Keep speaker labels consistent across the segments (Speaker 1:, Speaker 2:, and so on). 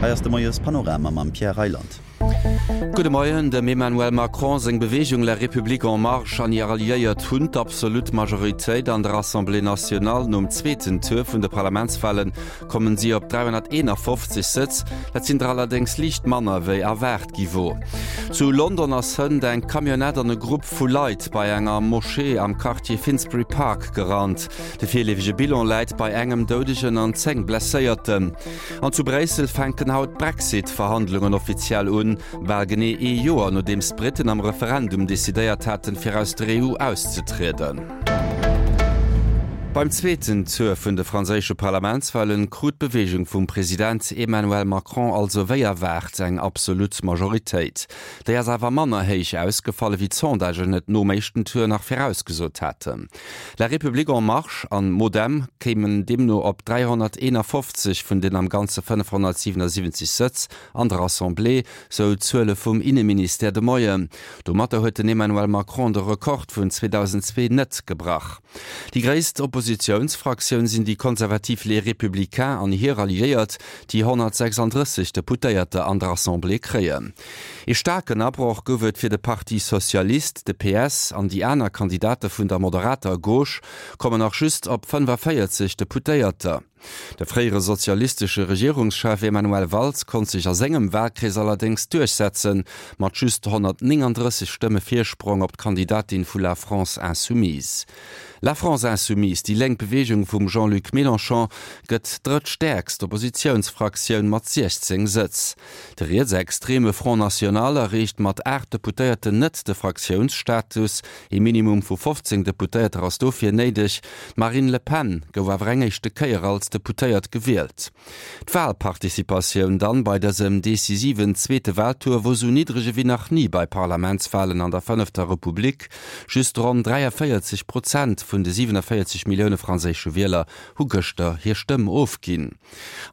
Speaker 1: Hei ass de Moies Panorama mam Pierre Reyland.
Speaker 2: Gudde Moien, Dem Emmanuel Macron seng Beweegung La République en Marche an hir Alliéiert hunn d'absolut Majoritéit an der Assemblée nationale. Nom zweeten Tour vun de Parlamentswale kommen si op 351 Sëtz, dat sinn der allerdéngs liicht manner wéi erwaart gi wor. Zu London ass hënt eng Camionnette an e Grupp vu Leit bei enger Moschee am Quartier Finsbury Park gerannt. De virleefege Bilan läit bei engem Doudegen an 10 Blesséierten. An zu Bréissel fänken haut d'Brexit-Verhandlungen offiziell un, bal genee ee Joer nodeems d'Britten am Referendum decidéiert haten, fir aus der EU auszetrieden. Beim zweeten Tour vun de franséische Parlamentswalen krut d'Beweegung vum President Emmanuel Macron also wéi erwaart eng absolut Majoritéit. Déi ass awer manner héich ausgefall ewéi d'Sondagen et nom éischten Tour nach virausgesot haten. La République en Marche an MoDem kéimen deemno op 351 vun den am Ganze 577 Sëtz an der Assemblée, sou d'Zuele vum Inneministère de Moien. Domatter huet den Emmanuel Macron de Rekord vun 2002 net gebrach. Déi gréisst Oppositiounsfraktioun sinn déi konservativ Les Républicains an hir Alliéiert, déi 136 Deputéierter an der Assemblée kréien. Ee staarken Abroch gouf et fir de Parti Socialiste, de PS an déi aner Kandidate vun der moderater Gauche kommen nach just op 45 Deputéierter. De fréiere sozialistesche Regierungschef Emmanuel Valls konnt sech a sengem Walkrees allerdéngs duerchsetzen, mat just 139 Stëmme Virsprong op d'Kandidatin vu La France Insoumise. La France Insoumise, déi lénk Beweegung vum Jean-Luc Mélenchon, gëtt drëttstäerkst Oppositiounsfraktioun mat 16 Sëtz. De rietsextreme Front National erreecht mat 8 Deputéierten net de Fraktiounsstatus. Ee Minimum vu 15 Deputéierter ass dofir néideg. D'Marine Le Pen gouf awer eng éischte Kéier als Deputéiert gewielt. D'Walparticipatioun dann bei dësem decisiven zweete Waltour wor sou niddreg ewéi nach ni bei Parlamentswalen an der fënnefter Republik. Just ronn 43 Prozent vun de 47 Millioune franséische Wieler hu gëschter hir Stëmm ofginn.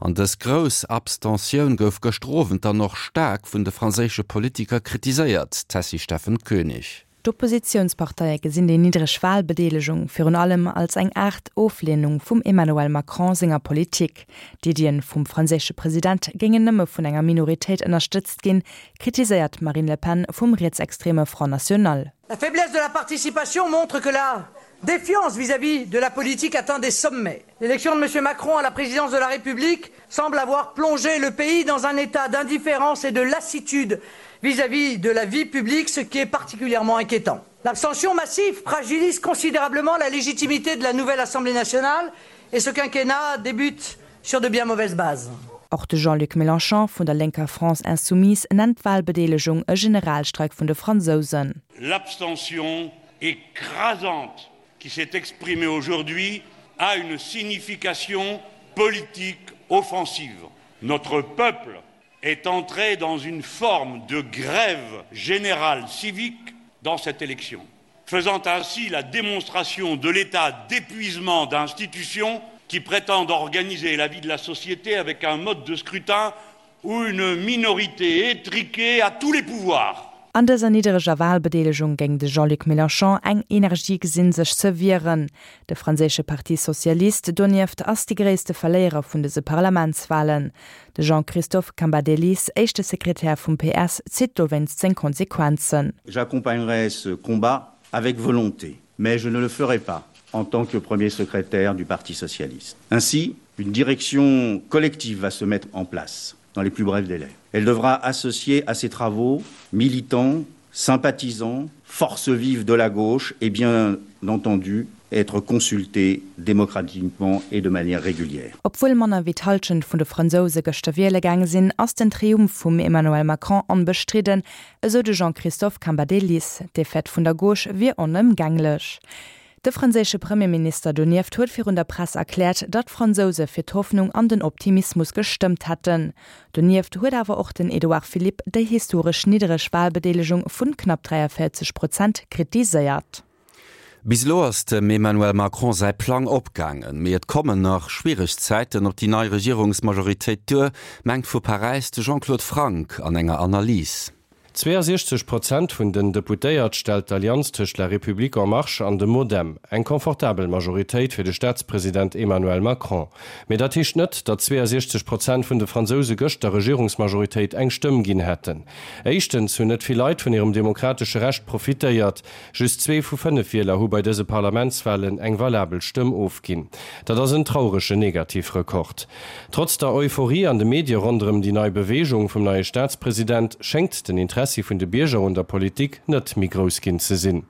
Speaker 2: An dës grouss Abstentioun gouf gëschter Owend dann och staark vun de franséische Politiker kritiséiert, Tessy Steffen Koenig.
Speaker 3: D'Oppositiounsparteie gesinn déi niddreg Walbedeelegung virun allem als eng Aart Ofleenung vum Emmanuel Macron senger Politik. D'Iddien vum franséische President géingen nëmme vun enger Minoritéit ënnerstëtzt ginn, kritiséiert d'Marine Le Pen vum rietsextreme Front National.
Speaker 4: La faiblesse de la participation montre que la défiance vis-à-vis de la politique atteint des sommets. L'élection de M. Macron à la présidence de la République semble avoir plongé le pays dans un état d'indifférence et de lassitude vis-à-vis de la vie publique, ce qui est particulièrement inquiétant. L'abstention massive fragilise considérablement la légitimité de la nouvelle Assemblée nationale et ce quinquennat débute sur de bien mauvaises bases.
Speaker 3: Och de Jean-Luc Mélenchon vun der lénker France Insoumise nennt d'Walbedeelegung e Generalstreik vun de Fransousen.
Speaker 5: L'abstention écrasante qui s'est exprimée aujourd'hui a une signification politique offensive. Notre peuple est entré dans une forme de grève générale civique dans cette élection, faisant ainsi la démonstration de l'état d'épuisement d'institutions qui prétendent organiser la vie de la société avec un mode de scrutin où une minorité étriquée a tous les pouvoirs.
Speaker 3: An dëser niddereger Walbedeelegung géing de Jean-Luc Mélenchon eng Energie gesinn, sech ze wieren. De franséische Parti Socialiste donieft ass de gréisste Verléierer vun dëse Parlamentswalen. De Jean-Christophe Cambadélis, éischte Sekretär vum PS, zitt dowéinst seng Konsequenzen.
Speaker 6: J'accompagnerai ce combat avec volonté, mais je ne le ferai pas en tant que premier secrétaire du Parti socialiste. Ainsi, une direction collective va se mettre en place dans les plus brefs délais. Elle devra associer à ses travaux militants, sympathisants, forces vives de la gauche et bien entendu être consultés démocratiquement et de manière régulière.
Speaker 3: Obwuel manner wéi d'Hallschent vun de Fransouse gëschter wiele gaange sinn, ass den Triumph vum Emmanuel Macron onbestridden, esou de Jean-Christophe Cambadélis. D'Defaite vun der Gauche wier onëmgänglech. De franséische Premierminister donieft huet virun der Press erkläert, datt d'Fransouse fir d'Hoffnung an den Optimismus gestëmmt hätten. Donieft huet awer och den Edouard Philippe déi historesch niddereg Walbedeelegung vun knapp 43 Prozent kritiséiert.
Speaker 2: Bis elo ass dem Emmanuel Macron säi Plang opgaangen, mee et kommen nach schwiereg Zäiten op déi nei Regierungsmajoritéit duer, mengt vu Paräis de Jean-Claude Franck an enger Analys.
Speaker 7: 62 Prozent vun den Deputéiert stellt d'Allianz tëscht La République En Marche an dem MoDem. Eng confortabel Majoritéit fir de Staatspresident Emmanuel Macron. Mee dat heescht net, datt 62 Prozent vun de Fransouse gëscht der Regierungsmajoritéit eng Stëmm ginn hätten. Éischtens hunn net vill Leit vun hirem demokratesche Recht profitéiert. Just zwee vu 5 Wieler hu bei dëse Parlamentswalen eng valabel Stëmm ofginn. Dat ass en trauregen Negativrekord. Trotz der Euphorie an de Medie ronderëm déi nei Beweegung vum neie Staatspresident schéngt den Interessi vun de Bierger un der Politik net méi grouss ginn ze sinn.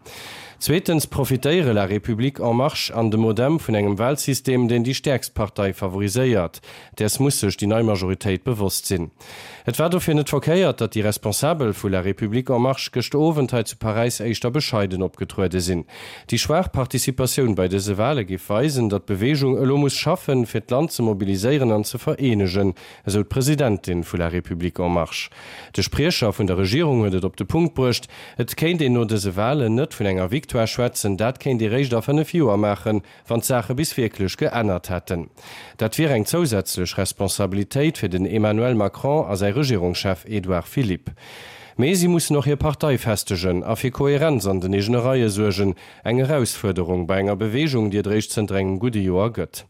Speaker 7: Zweetens profitéiere La République En Marche an de MoDem vun engem Walsystem, deen déi stäerkst Partei favoriséiert. Däers muss sech déi nei Majoritéit bewosst sinn. Et war dofir net verkéiert, datt déi Responsabel vu La République En Marche gëschter Owend hei zu Paräis éischter bescheiden opgetruede sinn. Déi schwaach Participatioun bei dëse Wale géif weisen, datt d'Beweegung elo muss schaffen, fir d'Land ze mobiliséieren an ze vereenegen, esou d'Presidentin vu La République En Marche. De Spriecher vun der Regierung huet et op de Punkt bruecht, Et kéint een no dëse Walen net vun enger Victoire schwätzen, dat kéint ee réischt a 5 Joer maachen, wann d'Saache bis wierklech geännert hätten. Dat wier eng zousätzlech Responsabilitéit fir den Emmanuel Macron a säi Regierungschef Edouard Philippe. Mee si mussen och hir Partei festegen a fir Koherenz an den eegene Reie suergen, eng Erausfuerderung bei enger Beweegung, déi et eréischt zënter engem gudde Joer gëtt.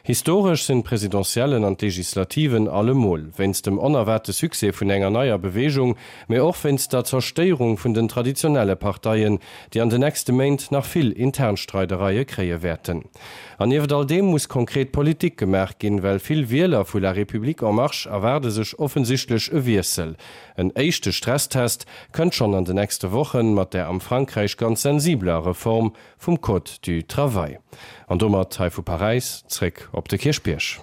Speaker 7: Historesch sinn d'Presidentiellen an d'Legislativen allemol, wéinst dem onerwaarte Succès vun enger neier Beweegung, mee och wéinst der Zerstéierung vun den traditionelle Parteien, déi an de nächste Méint nach vill intern Streidereie kréie wäerten. An nieft all deem muss konkret Politik gemaach ginn, well vill Wieler vu La République En Marche erwaarde sech offensichtlech e Wiessel. En éischte Stresstest kënnt schonn an de nächste Wochen mat der am Frankräich ganz sensibeler Reform vum Code du Travail. An domat hei vu Paräis zréck op de Kierchbierg.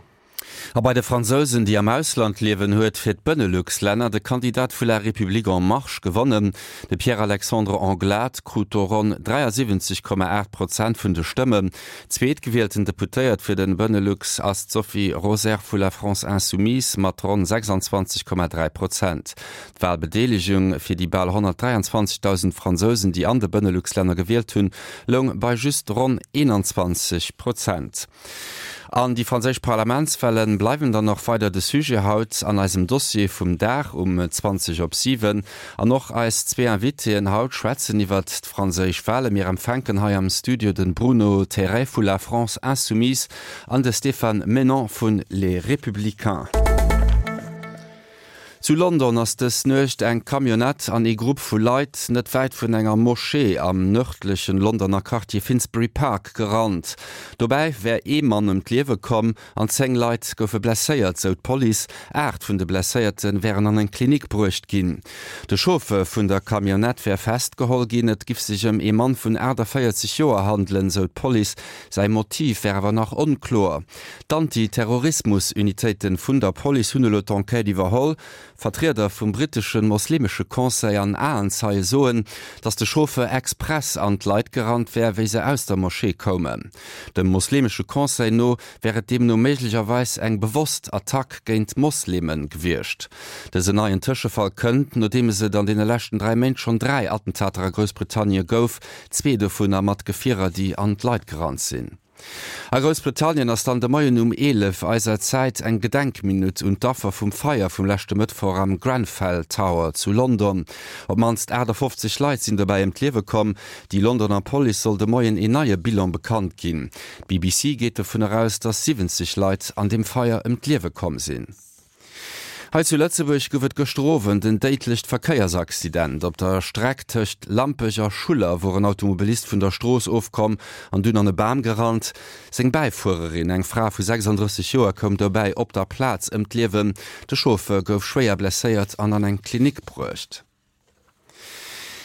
Speaker 2: A bei de Fransousen, déi am Ausland liewen, huet fir d'Benelux-Länner de Kandidat vu La République En Marche gewonnen. De Pierre-Alexandre Anglade krut do ronn 73,8 Prozent vun de Stëmmen. Zweetgewielten Deputéiert fir de Benelux ass d'Sophie Roser vu La France Insoumise mat ronn 26,3 Prozent. D'Walbedeelegung fir déi bal 123.000 Fransousen, déi an de Benelux-Länner gewielt hunn, loung bei just ronn 21 Prozent. An déi franséisch Parlamentswale bleiwen dann och weider de Sujet haut an eisem Dossier vum Dag um 20 op 7. An och eis zwee Invitéen haut schwätzen iwwert d'franséisch Wale. Mir empfänken hei am Studio de Bruno Terray vu La France Insoumise an de Stéphane Menon vun Les Républicains. Zu London ass dës Nuecht eng Camionnette an ee Grupp vu Leit net wäit vun enger Moschee am nërdlechen Londoner Quartier Finsbury Park gerannt. Dobäi wär ee Mann ëm d'Liewe komm an 10 Leit goufe blesséiert, sou d'Police. 8 vun de Blesséierte wären an eng Klinik bruecht ginn. De Chauffeur vun der Camionnette wär festgeholl ginn. Et giff sech ëm ee Mann vun 48 Joer handelen, sou d'Police. Säi Motiv wär awer nach onkloer. D'Anti-Terrorismus-Unitéite vun der Police hunn elo d'Enquête iwwerholl. Vertrieder vum brittesche moslemesche Conseil an Aenzeie soen, datt de Chauffeur express an d'Leit gerannt wär, wéi se aus der Moschee koumen. Dem moslemesche Conseil no wär et deemno méiglecherweis eng bewosst Attack géint Mosleme gewiescht. Dësen neien Tëschefall kënnt, nodeems et an deene leschten 3 Méint schonn 3 Attentater a Groussbritannien gouf, zwee dovunner mat Gefierer, déi an d'Leit gerannt sinn. A Groussbritannien ass dann de Moien um 11 eiser Zäit eng Gedenkminutt un d'Affer vum Feier vum leschte Mëttwoch am Grenfell Tower zu London. Op d'mannst 58 Leit sinn dobäi ëm d'Liewe komm. Déi Londoner Police soll de Moien een neie Bilan bekannt ginn. D'BBC geet dovun eraus, datt 70 Leit an deem Feier ëm d'Liewe komm sinn. Hei zu Lëtzebuerg gouf et gëschter Owend en déidlecht Verkéiersaccident. Op der Streck tëscht Lampech a Schuller wor en Automobilist vun der Strooss ofkomm an dunn an e Bam gerannt. Seng Bäifuererin, eng Fra vu 36 Joer, koum dobäi op der Plaz ëm d'Liewen. De Chauffeur gouf schwéier blesséiert an an eng Klinik bruecht.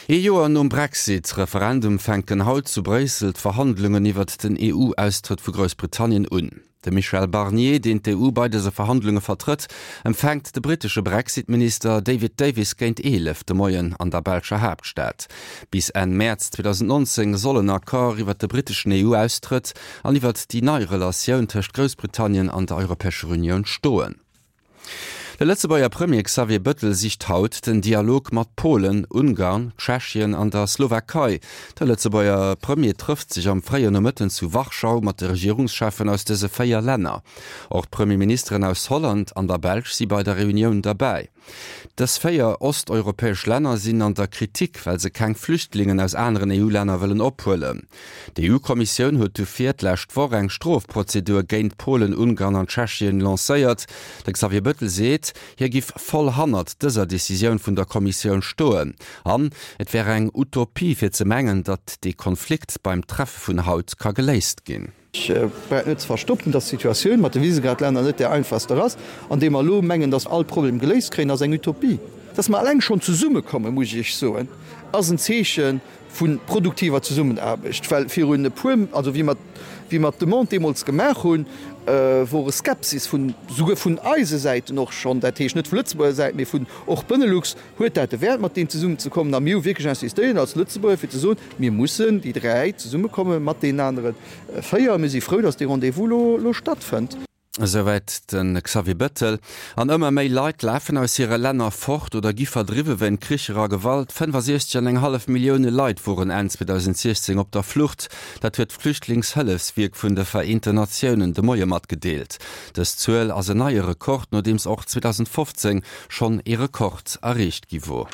Speaker 2: Ee Joer nom Brexit-Referendum fänken haut zu Bréissel d'Verhandlungen iwwert den EU-Austrëtt vu Groussbritannien un. De Michel Barnier, deen d'EU bei dëse Verhandlunge vertrëtt, empfänkt de brittesche Brexit-Minister David Davis géint 11 de Moien an der belscher Haaptstad. Bis Enn Mäerz 2019 soll en Accord iwwert de britteschen EU-Austrëtt an iwwert déi nei Relatioun tëscht Groussbritannien an der Europäescher Unioun stoen. De Lëtzebuerger Premier Xavier Bëttel sicht haut den Dialog mat Polen, Ungarn, Tschechien an der Slowakei. De Lëtzebuerger Premier trëfft sech am fréien Nomëtten zu Warschau mat de Regierungscheffen aus dëse 4 Länner. Och d'Premierministeren aus Holland an der Belsch si bei der Reunioun derbäi. Dës 4 osteuropäesch Länner sinn an der Kritik, well se keng Flüchtlingen aus aneren EU-Länner wëllen ophuelen. D'EU-Kommissioun huet dofir d'lescht Woch eng Strofprozedur géint Polen, Ungarn an Tschechien lancéiert. De Xavier Bëttel seet, hie giff voll hannert dëser Decisioun vun der Kommissioun stoen. An et wär eng Utopie fir ze mengen, datt dee Konflikt beim Treffe vun haut ka geléist ginn.
Speaker 8: Ech brauch net ze verstoppen, dass d'Situatioun mat de Visegrad-Länner net där einfachster ass. An deem mer elo mengen, dass all Problem geléist kréien, ass eng Utopie. Dass mer eleng schonn zesummekommen, muss ech Iech soen, ass en Zeeche vu produktiver Zesummenaarbecht. Well virun e puer, also wéi mer, wéi mer d'Demande deemools gemaach hunn, wor e Skepsis vun, souguer vun eise Säiten och schonn, dat heescht net vu Lëtzebuerger Säit, mee vun och Benelux, Huet dat de Wäert, mat deem zesummenzekommen? A mir hu wierklech insistéiert als Lëtzebuerger, fir ze soen, Mir mussen, déi dräi, zesummekomme mat deenen anere véier. Mir si frou, datt dee Rendez-vous elo stattfënnt.
Speaker 2: Esouwäit de Xavier Bettel. An ëmmer méi Leit lafen aus hire Länner fort oder gi verdriwwe wéint Kricher a Gewalt. 65 an eng hallef Millioune Leit woren Enn 2016 op der Flucht. Dat huet d'Flüchtlingshëllefswierk vun de Vereenten Natiounen de Moie matgedeelt. Dës Zuel ass en neie Rekord, nodeems och 2015 schonn ee Rekord erreecht gi wor.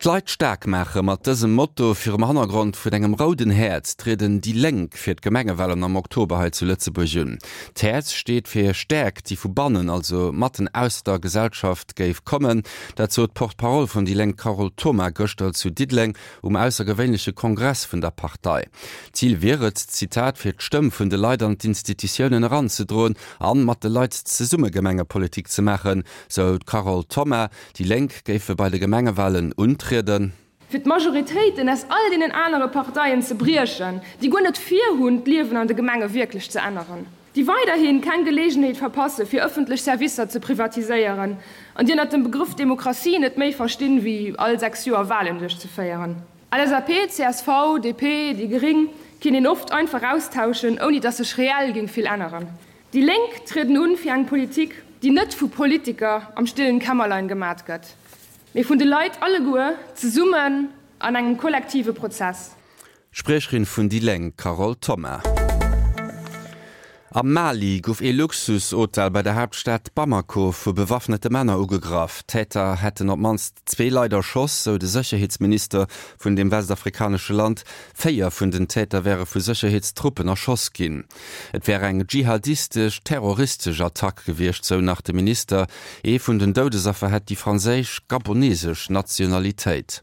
Speaker 2: D'Leit staark maache, mat dësem Motto virum Hannergrond vun engem rouden Häerz trieden déi Lénk fir d'Gemengewalen am Oktober hei zu Lëtzebuerg un. D'Häerz steet fir Stäerkt, déi vu bannen, also matten aus der Gesellschaft géif kommen. Dat sot d'Porte-parole vun déi Lénk Carole Thoma gëschter zu Diddeleng um aussergewéinleche Kongress vun der Partei. D'Zil wier et, Zitat, fir d'Stëmm vun de Leit an d'Institutiounen eranzedroen An mat de Leit zesumme Gemengepolitik ze maachen, sou d'Carole Thoma. Déi Lénk géife bei de Gemengewalen untrieden.
Speaker 9: Fir d'Majoritéiten aus all deenen anere Parteien ze briechen, déi guer net virhunn, d'Liewen an de Gemenge wierklech ze änneren, déi weiderhi keng Geleegenheet verpasse fir ëffentlech Servicer ze privatiséieren an déi ënnert dem Begrëff Demokratie net méi verstinn, wéi all 6 Joer Walen duerchzeféieren. LSAP, csv, DP, déi Gring kinnt een oft einfach austauschen, ouni dass sech reell géing vill änneren. Déi Lénk trieden un fir eng Politik, déi net vu Politiker am stillen Kämmerlein gemat gëtt, mee vun de Leit alleguer zesummen an engem kollektive Prozess.
Speaker 2: Spriecherin vun déi Lénk Carole Thoma. Am Mali gouf ee Luxushotel bei der Haaptstad Bamako vu bewaffnete Männer ugegraff. D'Täter hätten op d'mannst zwee Leit erschoss, sou de Sécherheetsminister vun deem westafrikanesche Land. Véier vun den Täter wäre vu Sécherheetstruppen erschoss ginn. Et wär eng dschihadistesch, terroristesch Attack gewiescht, sou nach de Minister. Ee vun den Doudesaffer hätt déi franséisch-gabonesesch Nationalitéit.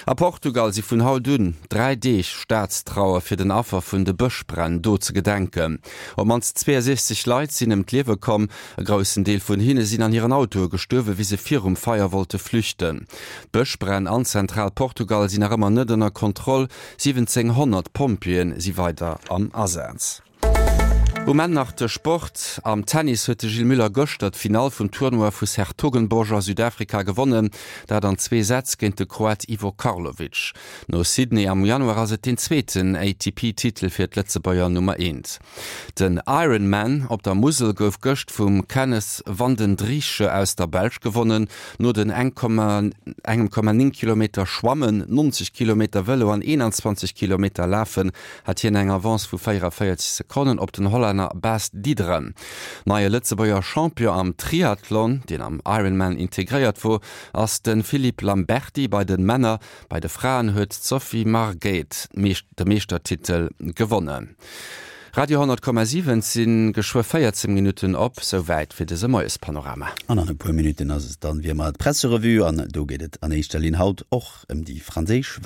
Speaker 2: A Portugal si vun haut un 3 Deeg Staatstrauer fir den Affer vun de Bëschbränn do ze gedenken. Op mannst 62 Leit sinn ëm d'Liewe komm. E groussen Deel vun hinne sinn an hiren Autoe gestuerwe wéi se virum Feier wollte flüchten. D'Bëschbränn an Zentral-Portugal sinn nach ëmmer net ënner Kontroll. 1.700 Pompjeeë si weider am Asaz. Um Enn nach de Sport. Am Tennis huet de Gilles Müller gëschter d'Finall vum Tournoi vu 's-Hertogenbosch a Südafrika gewonnen, dat an zwee Sätz géint de Kroat Ivo Karlovic. No Sydney am Januar ass et deen zweeten ATP-Titel fir d'Lëtzebuerger Nummer Eent. Den Ironman op der Musel gouf gëscht vum Kenneth Vandendriessche aus der Belsch gewonnen. No den 1,9 Kilometer Schwammen, 90 Kilometer Vëlo an 21 Kilometer Lafen hat hien eng Avance vu 44 Sekonnen op den Hollänner Bas Diederen. Neie Lëtzebuerger Champion am Triathlon, deen am Ironman integréiert wor, ass de Philippe Lamberty bei de Männer. Bei de Fraen huet d'Sophie Marguet de Meeschtertitel gewonnen. Radio 10,7 Et si geschwë 14 Minutten op, souwäit fir dëse Moiespanorama.
Speaker 1: An an e puer Minutten ass et dann wéi ëmmer d'Presserevue an do geet et an éischter Linn haut och ëm déi franséisch Wahlen.